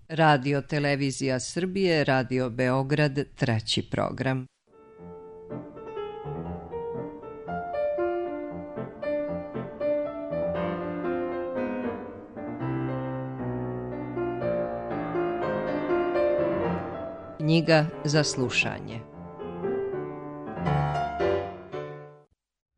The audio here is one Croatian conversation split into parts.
Radio Televizija Srbije, Radio Beograd, 3. program. Knjiga za slušanje.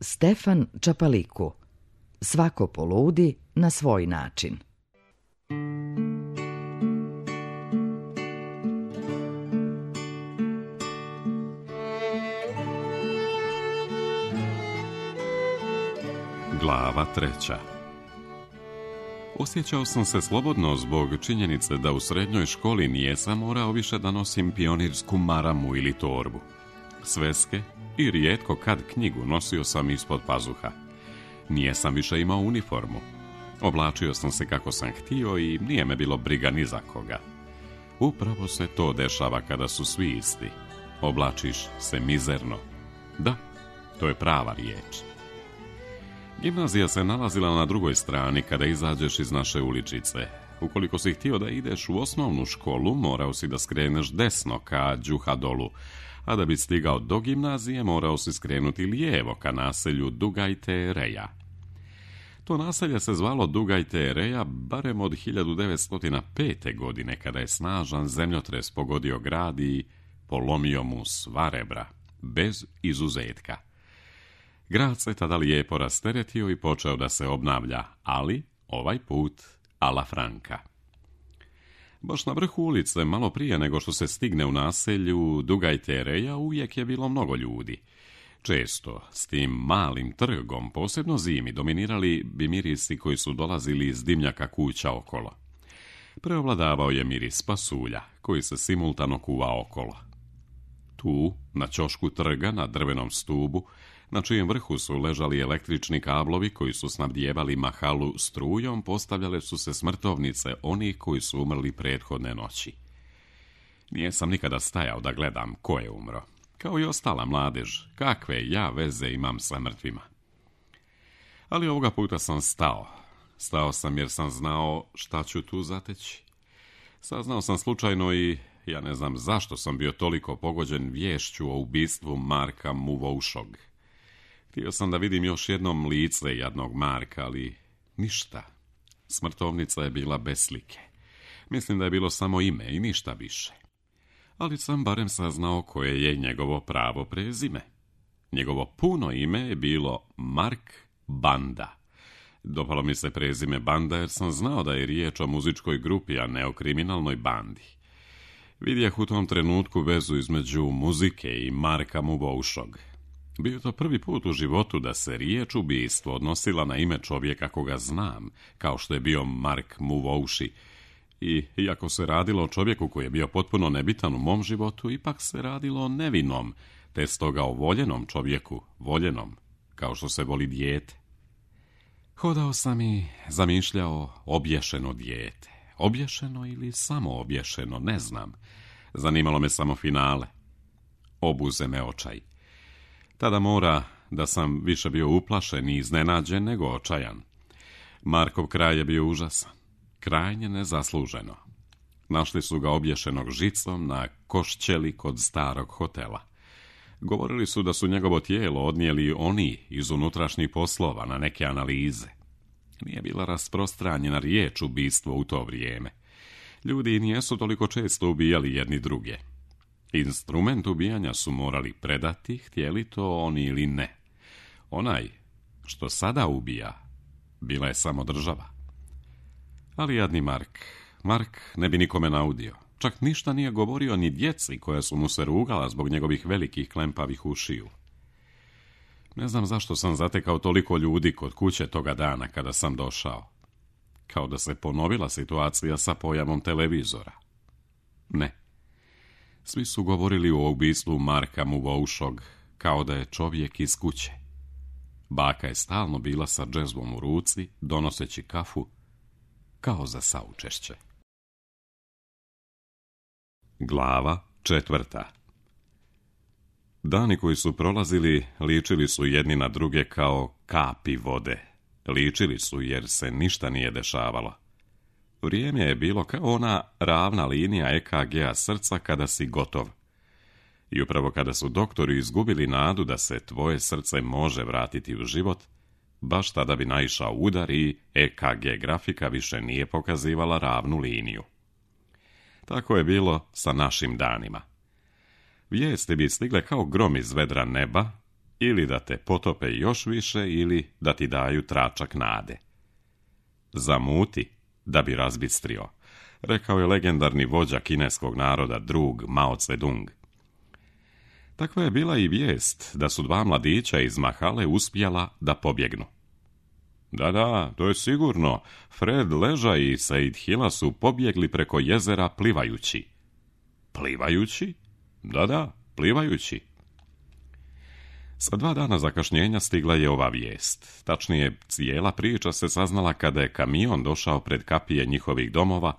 Stefan Čapaliku. Svako poludi na svoj način. Glava 3. Osjećao sam se slobodno zbog činjenice da u srednjoj školi nijesam morao više da nosim pionirsku maramu ili torbu. Sveske i rijetko kad knjigu nosio sam ispod pazuha. Nijesam više imao uniformu. Oblačio sam se kako sam htio i nije me bilo briga ni za koga. Upravo se to dešava kada su svi isti. Oblačiš se mizerno. Da, to je prava riječ. Gimnazija se nalazila na drugoj strani kada izađeš iz naše uličice. Ukoliko si htio da ideš u osnovnu školu, morao si da skreneš desno ka Đuha dolu, a da bi stigao do gimnazije morao si skrenuti lijevo ka naselju Dugajte Reja. To naselje se zvalo Dugajte Reja barem od 1905. godine kada je snažan zemljotres pogodio grad i polomio mu sva rebra, bez izuzetka. Grad se tada lijepo rasteretio i počeo da se obnavlja, ali ovaj put a la Franca. Baš na vrhu ulice, malo prije nego što se stigne u naselju Dugajte Reja, uvijek je bilo mnogo ljudi. Često s tim malim trgom, posebno zimi, dominirali bi mirisi koji su dolazili iz dimnjaka kuća okolo. Preovladavao je miris pasulja, koji se simultano kuva okolo. Tu, na ćošku trga, na drvenom stubu, na čijem vrhu su ležali električni kablovi koji su snabdijevali mahalu strujom, postavljale su se smrtovnice onih koji su umrli prethodne noći. Nijesam nikada stajao da gledam ko je umro. Kao i ostala mladež, kakve ja veze imam sa mrtvima. Ali ovoga puta sam stao. Stao sam jer sam znao šta ću tu zateći. Saznao sam slučajno i ja ne znam zašto sam bio toliko pogođen viješću o ubistvu Marka Muvoušog. Htio sam da vidim još jednom lice jadnog Marka, ali ništa. Smrtovnica je bila bez slike. Mislim da je bilo samo ime i ništa više. Ali sam barem saznao koje je njegovo pravo prezime. Njegovo puno ime je bilo Mark Banda. Dopalo mi se prezime Banda jer sam znao da je riječ o muzičkoj grupi, a ne o kriminalnoj bandi. Vidjeh u tom trenutku vezu između muzike i Marka Muvoušog. Bio to prvi put u životu da se riječ ubistvo odnosila na ime čovjeka koga znam, kao što je bio Mark Muvouši. I iako se radilo o čovjeku koji je bio potpuno nebitan u mom životu, ipak se radilo o nevinom, te stoga o voljenom čovjeku, voljenom, kao što se voli dijete. Hodao sam i zamišljao obješeno dijete. Obješeno ili samo obješeno, ne znam. Zanimalo me samo finale. Obuze me očaj. Tada mora da sam više bio uplašen i iznenađen nego očajan. Markov kraj je bio užasan. Krajnje nezasluženo. Našli su ga obješenog žicom na košćeli kod starog hotela. Govorili su da su njegovo tijelo odnijeli oni iz unutrašnjih poslova na neke analize. Nije bila rasprostranjena riječ ubistvo u to vrijeme. Ljudi nijesu toliko često ubijali jedni druge. Instrument ubijanja su morali predati, htjeli to oni ili ne. Onaj što sada ubija, bila je samo država. Ali jadni Mark ne bi nikome naudio. Čak ništa nije govorio ni djeci koja su mu se rugala zbog njegovih velikih klempavih ušiju. Ne znam zašto sam zatekao toliko ljudi kod kuće toga dana kada sam došao. Kao da se ponovila situacija sa pojavom televizora. Ne. Svi su govorili o ubistvu Marka Muvoušog kao da je čovjek iz kuće. Baka je stalno bila sa džezvom u ruci, donoseći kafu, kao za saučešće. Glava 4. Dani koji su prolazili ličili su jedni na druge kao kapi vode. Ličili su jer se ništa nije dešavalo. Vrijeme je bilo kao ona ravna linija EKG-a srca kada si gotov. I upravo kada su doktori izgubili nadu da se tvoje srce može vratiti u život, baš tada bi naišao udar i EKG grafika više nije pokazivala ravnu liniju. Tako je bilo sa našim danima. Vijesti bi stigle kao grom iz vedra neba, ili da te potope još više, ili da ti daju tračak nade. Zamuti da bi razbistrio, rekao je legendarni vođa kineskog naroda, drug Mao Tse-dung. Takva je bila i vijest da su dva mladića iz Mahale uspjela da pobjegnu. Da, to je sigurno. Fred Leža i Said Hila su pobjegli preko jezera plivajući. Plivajući? Da, plivajući. Sa 2 dana zakašnjenja stigla je ova vijest. Tačnije, cijela priča se saznala kada je kamion došao pred kapije njihovih domova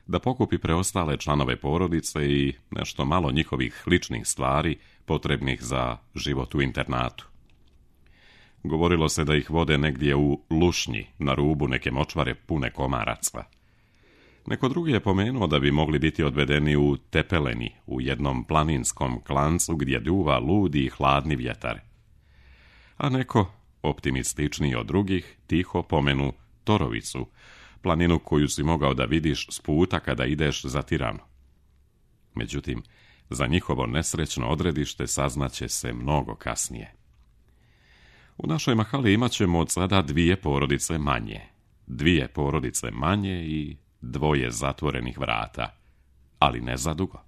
da pokupi preostale članove porodice i nešto malo njihovih ličnih stvari potrebnih za život u internatu. Govorilo se da ih vode negdje u Lušnji, na rubu neke močvare pune komaraca. Neko drugi je pomenuo da bi mogli biti odvedeni u Tepeleni, u jednom planinskom klancu gdje duva ludi i hladni vjetar. A neko, optimističniji od drugih, tiho pomenu Torovicu, planinu koju si mogao da vidiš s puta kada ideš za Tiranu. Međutim, za njihovo nesrećno odredište saznaće se mnogo kasnije. U našoj Mahali imat ćemo od sada 2 porodice manje. 2 porodice manje i 2 zatvorenih vrata, ali ne za dugo.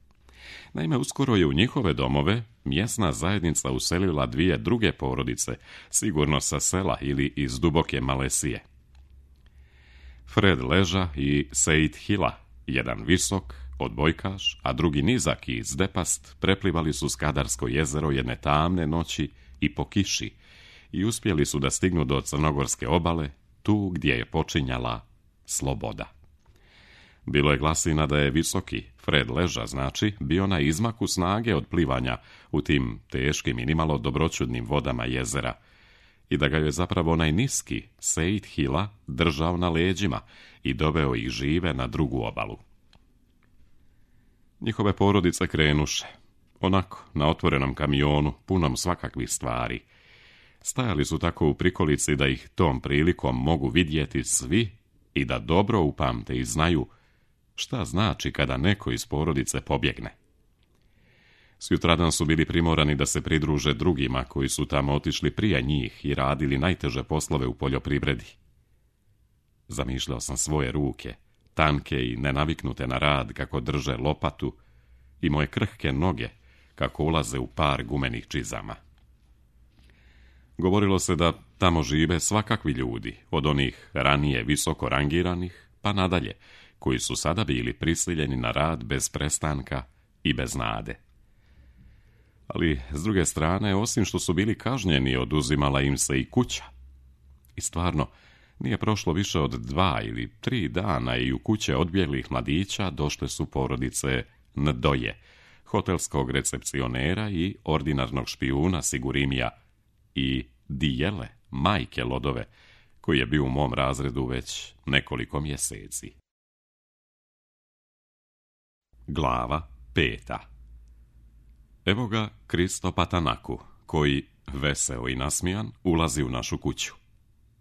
Naime, uskoro je u njihove domove mjesna zajednica uselila 2 druge porodice, sigurno sa sela ili iz duboke Malesije. Fred Leža i Said Hila, jedan visok, odbojkaš, a drugi nizak i zdepast, preplivali su Skadarsko jezero jedne tamne noći i po kiši i uspjeli su da stignu do crnogorske obale, tu gdje je počinjala sloboda. Bilo je glasina da je visoki, Fred Leža znači, bio na izmaku snage od plivanja u tim teškim i nimalo dobroćudnim vodama jezera i da ga je zapravo onaj niski, Said Hila, držao na leđima i doveo ih žive na drugu obalu. Njihove porodice krenuše, onako, na otvorenom kamionu, punom svakakvih stvari. Stajali su tako u prikolici da ih tom prilikom mogu vidjeti svi i da dobro upamte i znaju šta znači kada neko iz porodice pobjegne. Sutradan su bili primorani da se pridruže drugima koji su tamo otišli prije njih i radili najteže poslove u poljoprivredi. Zamišljao sam svoje ruke, tanke i nenaviknute na rad kako drže lopatu, i moje krhke noge kako ulaze u par gumenih čizama. Govorilo se da tamo žive svakakvi ljudi, od onih ranije visoko rangiranih pa nadalje, koji su sada bili prisiljeni na rad bez prestanka i bez nade. Ali, s druge strane, osim što su bili kažnjeni, oduzimala im se i kuća. I stvarno, nije prošlo više od 2 ili 3 dana i u kuće odbjeglih mladića došle su porodice Ndoje, hotelskog recepcionera i ordinarnog špijuna Sigurimija, i Dijele, majke Lodove, koji je bio u mom razredu već nekoliko mjeseci. Glava 5. Evo ga Kristo Patanaku, koji, veseo i nasmijan, ulazi u našu kuću.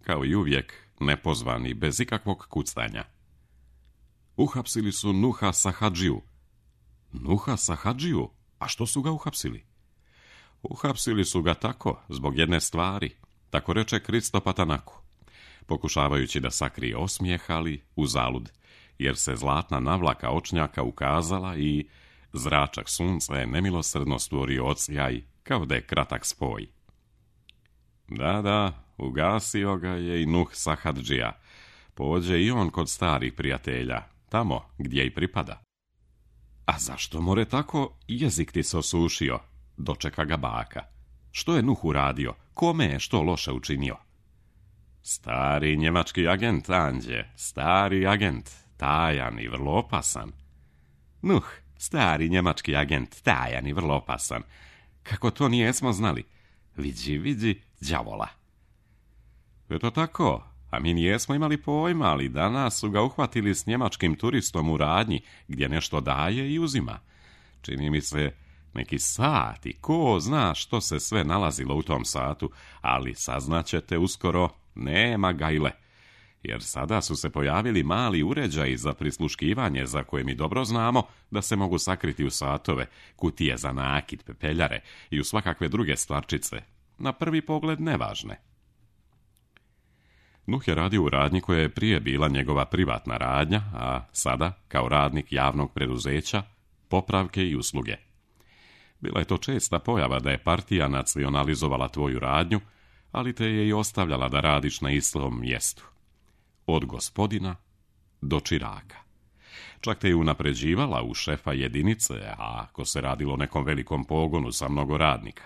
Kao i uvijek, nepozvan i bez ikakvog kucanja. Uhapsili su Nuha Sahadžiju. Nuha Sahadžiju? A što su ga uhapsili? Uhapsili su ga tako, zbog jedne stvari, tako reče Kristo Patanaku, pokušavajući da sakrije osmijeh, ali uzalud, jer se zlatna navlaka očnjaka ukazala i zračak sunca je nemilosrdno stvorio odsjaj, kao da je kratak spoj. Da, ugasio ga je i Nuh Sahadžija. Pođe i on kod starih prijatelja, tamo gdje i pripada. A zašto more tako, jezik ti se osušio, dočeka ga baka. Što je Nuh uradio? Kome je što loše učinio? Stari njemački agent, Anđe, stari agent, tajan i vrlo opasan. Nuh, stari njemački agent, tajan i vrlo opasan. Kako to nijesmo znali? Vidi, đavola. Eto tako, A mi nijesmo imali pojma, ali danas su ga uhvatili s njemačkim turistom u radnji, gdje nešto daje i uzima. Čini mi se neki sat i ko zna što se sve nalazilo u tom satu, ali saznaćete uskoro, nema gajle. Jer sada su se pojavili mali uređaji za prisluškivanje za koje mi dobro znamo da se mogu sakriti u satove, kutije za nakit, pepeljare i u svakakve druge stvarčice, na prvi pogled nevažne. Nuh je radio u radnji koja je prije bila njegova privatna radnja, a sada, kao radnik javnog preduzeća, popravke i usluge. Bila je to česta pojava da je partija nacionalizovala tvoju radnju, ali te je i ostavljala da radiš na istom mjestu. Od gospodina do čiraka. Čak te je unapređivala u šefa jedinice, a ako se radilo o nekom velikom pogonu sa mnogo radnika.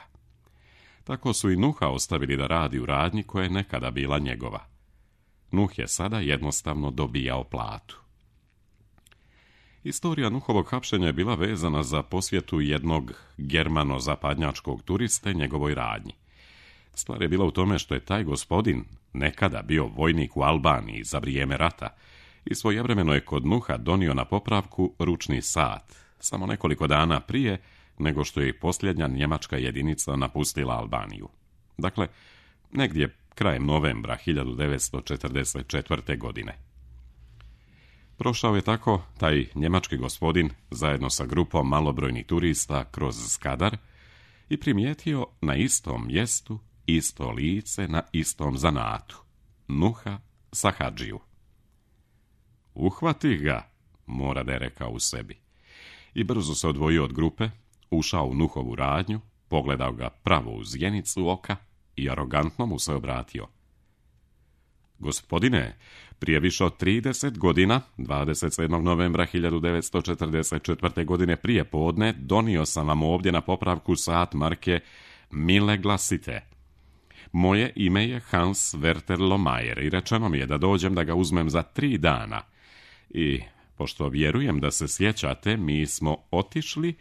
Tako su i Nuha ostavili da radi u radnji koja je nekada bila njegova. Nuh je sada jednostavno dobijao platu. Istorija Nuhovog hapšenja je bila vezana za posjetu jednog germano-zapadnjačkog turiste njegovoj radnji. Stvar je bila u tome što je taj gospodin nekada bio vojnik u Albaniji za vrijeme rata i svojevremeno je kod Nuha donio na popravku ručni sat, samo nekoliko dana prije nego što je posljednja njemačka jedinica napustila Albaniju. Dakle, negdje krajem novembra 1944. godine. Prošao je tako taj njemački gospodin zajedno sa grupom malobrojnih turista kroz Skadar i primijetio na istom mjestu isto lice na istom zanatu, Nuha Sahadžiju. Uhvati ga, mora da je rekao u sebi. I brzo se odvojio od grupe, ušao u Nuhovu radnju, pogledao ga pravo u zjenicu oka i arogantno mu se obratio. Gospodine, prije više od 30 godina, 27. novembra 1944. godine prije podne, donio sam vam ovdje na popravku sat marke Mille Glasite. Moje ime je Hans Werter Lohmeyer i rečeno mi je da dođem da ga uzmem za 3 dana. I, pošto vjerujem da se sjećate, mi smo otišli,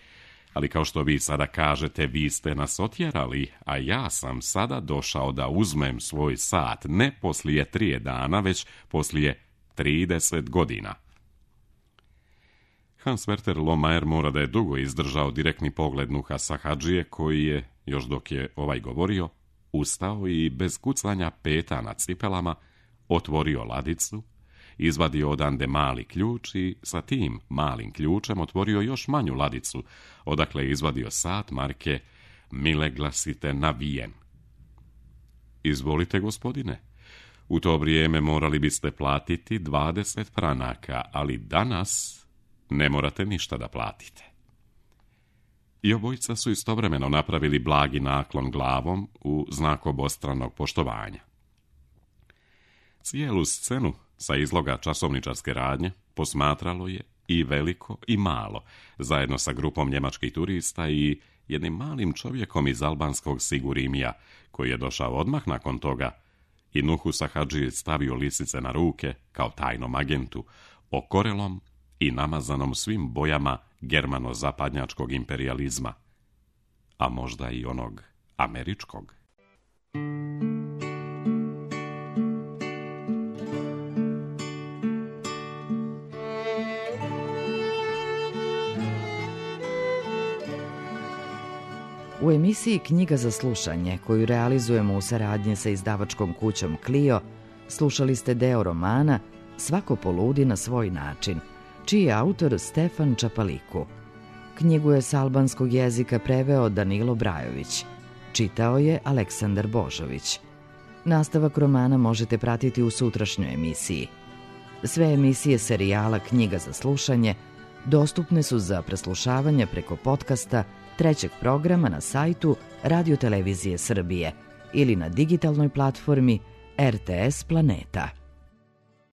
ali kao što vi sada kažete, vi ste nas otjerali, a ja sam sada došao da uzmem svoj sat ne poslije 3 dana, već poslije 30 godina. Hans Werter Lohmeyer mora da je dugo izdržao direktni pogled Nuha Sahadžije, koji je, još dok je ovaj govorio, ustao i bez kucanja peta na cipelama otvorio ladicu, izvadio odande mali ključ i sa tim malim ključem otvorio još manju ladicu, odakle je izvadio sat marke Mille Glasite na Vijen. Izvolite, gospodine. U to vrijeme morali biste platiti 20 franaka, ali danas ne morate ništa da platite. I obojica su istovremeno napravili blagi naklon glavom u znak obostranog poštovanja. Cijelu scenu sa izloga časovničarske radnje posmatralo je i veliko i malo, zajedno sa grupom njemačkih turista i jednim malim čovjekom iz albanskog Sigurimija, koji je došao odmah nakon toga i Nuhu Sahadži stavio lisice na ruke kao tajnom agentu, okorelom i namazanom svim bojama germano-zapadnjačkog imperijalizma, a možda i onog američkog. U emisiji Knjiga za slušanje, koju realizujemo u saradnji sa izdavačkom kućom Clio, slušali ste deo romana Svako poludi na svoj način, čiji je autor Stefan Čapaliku. Knjigu je s albanskog jezika preveo Danilo Brajović. Čitao je Aleksandar Božović. Nastavak romana možete pratiti u sutrašnjoj emisiji. Sve emisije serijala Knjiga za slušanje dostupne su za preslušavanje preko podcasta trećeg programa na sajtu Radio Televizije Srbije ili na digitalnoj platformi RTS Planeta.